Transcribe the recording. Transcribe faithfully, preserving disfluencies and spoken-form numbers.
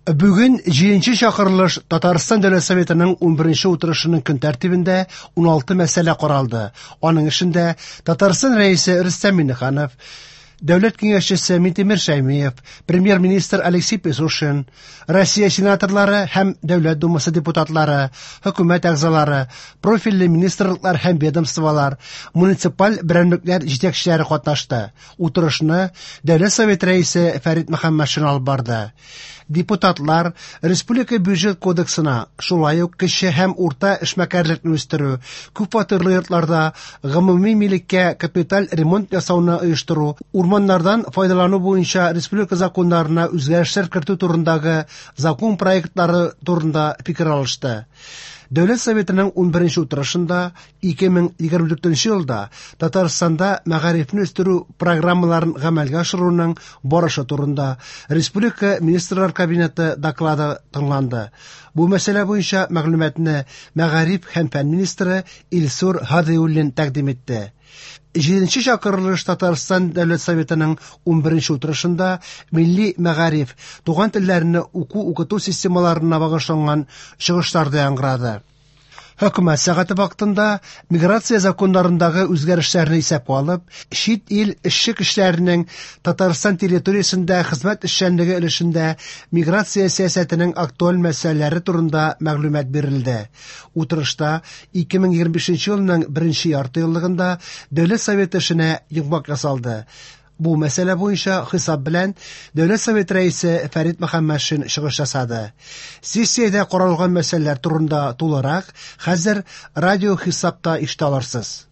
Бүген җиденче чакырылыш Татарстан Дәүләт Советының унберенче утырышының көн тәртибендә уналты мәсьәлә каралды. Аның эшендә Татарстан Рәисе Рөстәм Миңнеханов, Дәүләт киңәшчесе Минтимер Шәймиев, Премьер-министр Алексей Песошин, Россия сенаторлары һәм Дәүләт Думасы депутатлары, хөкүмәт әгъзалары, профильле министрлыклар һәм ведомстволар, муниципаль берәмлекләр җитәкчеләре катнашты. Утырышны Дәүләт Советы рәисе Фәрит Мөхәммәтшин алып барды. Депутатлар Республика бюджет кодексына, шулай ук кече һәм урта эшмәкәрлекне үстерү, күпфатирлы йортларда гомуми милеккә капиталь ремонт ясауны оештыру, урманнардан файдалану буенча республика законнарына үзгәрешләр кертү турындагы закон проектлары турында фикер алышты. Дәүләт Советының унберенче утырышында ике мең егерме дүртенче елда Татарстанда мәгарифне үстерү программаларын гамәлгә ашыруның барышы турында Республика Министрлар Кабинеты доклады тыңланды. Бу мәсьәлә буенча мәгълүматны мәгариф һәм фән министры Илсур Һадиуллин тәкъдим итте. Җиденче чакырылыш Татарстан Дәүләт Советының унберенче утырышында милли мәгариф, туган телләрне уку-укыту системаларына багышланган чыгышлар да яңгырады. Хөкүмәт сәгате вакытында миграция законнарындагы үзгәрешләрне исәпкә алып, чит ил эшче көчләренең Татарстан территориясендә хезмәт эшчәнлеге өлешендә миграция сәясәтенең актуаль мәсьәләләре турында мәгълүмат бирелде. Утырышта ике мең егерме бишенче елның беренче ярты еллыгында Дәүләт Советы эшенә йомгак ясалды. Бу мәсьәлә буенча хисап белән Дәүләт Советы рәисе Фәрит Мөхәммәтшин чыгыш ясады. Сессиядә каралган мәсьәләләр турында тулырак хәзер радио хисапта ишетә алырсыз.